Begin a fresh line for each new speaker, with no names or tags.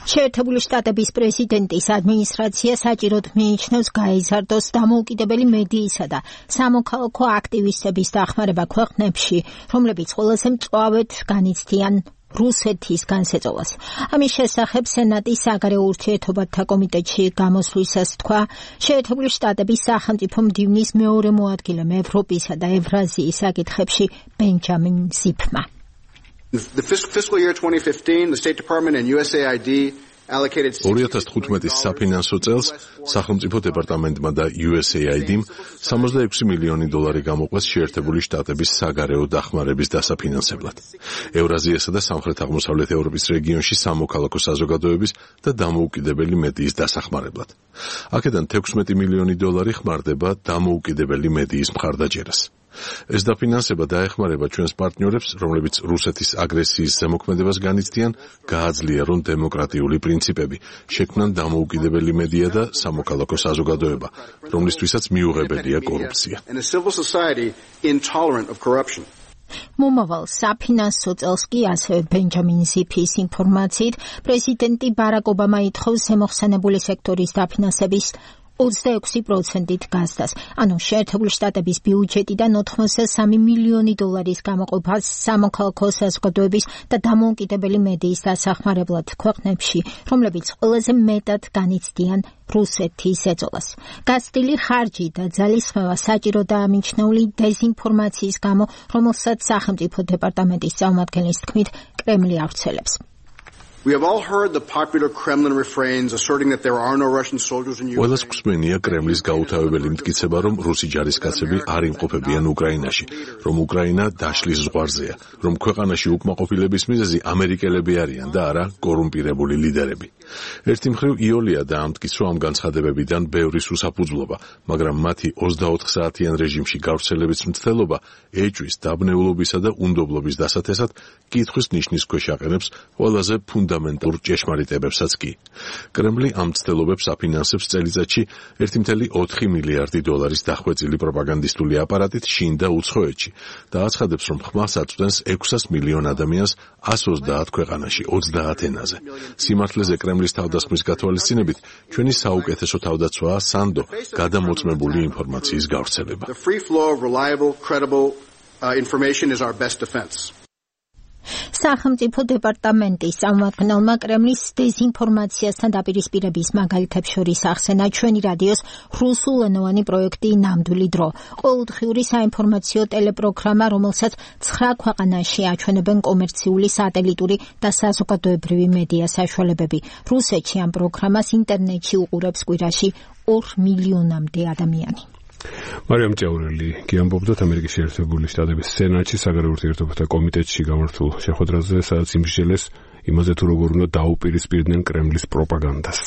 შეერთებული შტატების პრეზიდენტის ადმინისტრაცია საჭიროდ მიიჩნევს გაიზარდოს დამოუკიდებელი მედიისა და სამოქალაქო აქტივისტების დახმარება ქვეყნებში, რომლებიც ყველაზე მწვავედ განიცდიან რუსეთის განსეწოლას. ამის შესახებ სენატის საგარეო ურთიერთობათა კომიტეტში გამოსვლისას თქვა შეერთებული შტატების სახელმწიფო მდივნის მეორე მოადგილემ ევროპისა და ევრაზიის საკითხებში ბენჯამინ ზიფმა.
The fiscal year 2015, the State Department and USAID allocated
2015 საფინანსო წელს სახელმწიფო დეპარტამენტმა და USAID-მ $66 მილიონი გამოყვეს შეერთებული შტატების საგარეო დახმარების დასაფინანსებლად. ევრაზიასა და სამხრეთ-აღმოსავლეთ ევროპის რეგიონში სამოქალაქო საზოგადოების და დამოუკიდებელი მედიის დასახმარებლად. აქედან $16 მილიონი ხმარდება დამოუკიდებელი მედიის მხარდაჭერას. ეს დაფინანსება დაეხმარება ჩვენს პარტნიორებს, რომლებიც რუსეთის აგრესიის ზემოქმედებას განიცდიან, გააძლიერონ დემოკრატიული პრინციპები, შექმნან დამოუკიდებელი მედია და სამოქალაქო საზოგადოება, რომლისთვისაც მიუღებელია კორუფცია.
მომავალ საფინანსო წელს კი ასევე ბენჯამინ ზიფის ინფორმაციით პრეზიდენტი ბარაკ ობამა ითხოვს ზემოხსენებული სექტორის დაფინანსების 26%-ით გაზდას, ანუ შეერთებული შტატების ბიუჯეტიდან $83 მილიონი გამოყოფას სამოქალაქო საზოგადოების და დამოუკიდებელი მედიის დასახმარებლად ქვეყნებში, რომლებიც ყველაზე მეტად განიცდიან რუსეთის ეწოლას. გაცდილი ხარჯი და ძალისხმევა საჭიროდაა მიჩნეული დეზინფორმაციის გამო, რომელსაც სახელმწიფო დეპარტამენტის წარმომადგენლის თქმით კრემლი ავრცელებს.
We have all heard the popular Kremlin refrains asserting that there are no Russian soldiers in Ukraine.
ყველას გვსმენია კრემლის გაუთავებელი მტკიცება, რომ რუსი ჯარისკაცები არ იმყოფებიან უკრაინაში, რომ უკრაინა დაშლის ზღვარზეა, რომ ქვეყანაში უკმაყოფილების მიზეზი ამერიკელები არიან და არა კორუმპირებული ლიდერები. ერთი მხრივ იოლია და ამტკიცო ამ განცხადებებიდან ბევრი სუსაფუძვლობა, მაგრამ მათი 24 საათიან რეჟიმში გავრცელების მცდელობა ეჭვის, დაბნეულობისა და უნდობლობის დასათესად კითხვის ნიშნის ქვეშ აყენებს ყველაზე ფუნდამენტურ ჭეშმარიტებებსაც კი. კრემლი ამ მცდელობებს აფინანსებს წელიწადში $1.4 მილიარდი დახვეწილი პროპაგანდისტული აპარატით შინ და უცხოეთში და აცხადებს, რომ ხმას აწვდენს 600 მილიონ ადამიანს 130 ქვეყანაში 30 ენაზე. სიმართლეზე კრემლის თავდასხმის გათვალისწინებით ჩვენი საუკეთესო თავდაცვაა სანდო გადამოწმებული ინფორმაციის გავრცელება.
The free flow of reliable, credible information is our best defense.
სახელმწიფო დეპარტამენტის წარმომადგენელმა კრემლის დეზინფორმაციასთან დაპირისპირების მაგალითებს შორის ახსენა ჩვენი რადიოს რუსულენოვანი პროექტი ნამდვილი დრო. ყოველდღიური საინფორმაციო ტელეპროგრამა, რომელსაც 9 ქვეყანაში აჩვენებენ კომერციული, სატელიტური და საზოგადოებრივი მედია საშუალებები. რუსეთში ამ პროგრამას ინტერნეტში უყურებს კვირაში 2 მილიონამდე ადამიანი.
მარიამ ჭაურელი გიამბობდათ ამერიკის შეერთებული შტატების სენატში საგარეო ურთიერთობათა კომიტეტში გამართულ შეხვედრაზე, სადაც იმსჯელეს იმაზე თუ როგორ უნდა დაუპირისპირდნენ კრემლის პროპაგანდას.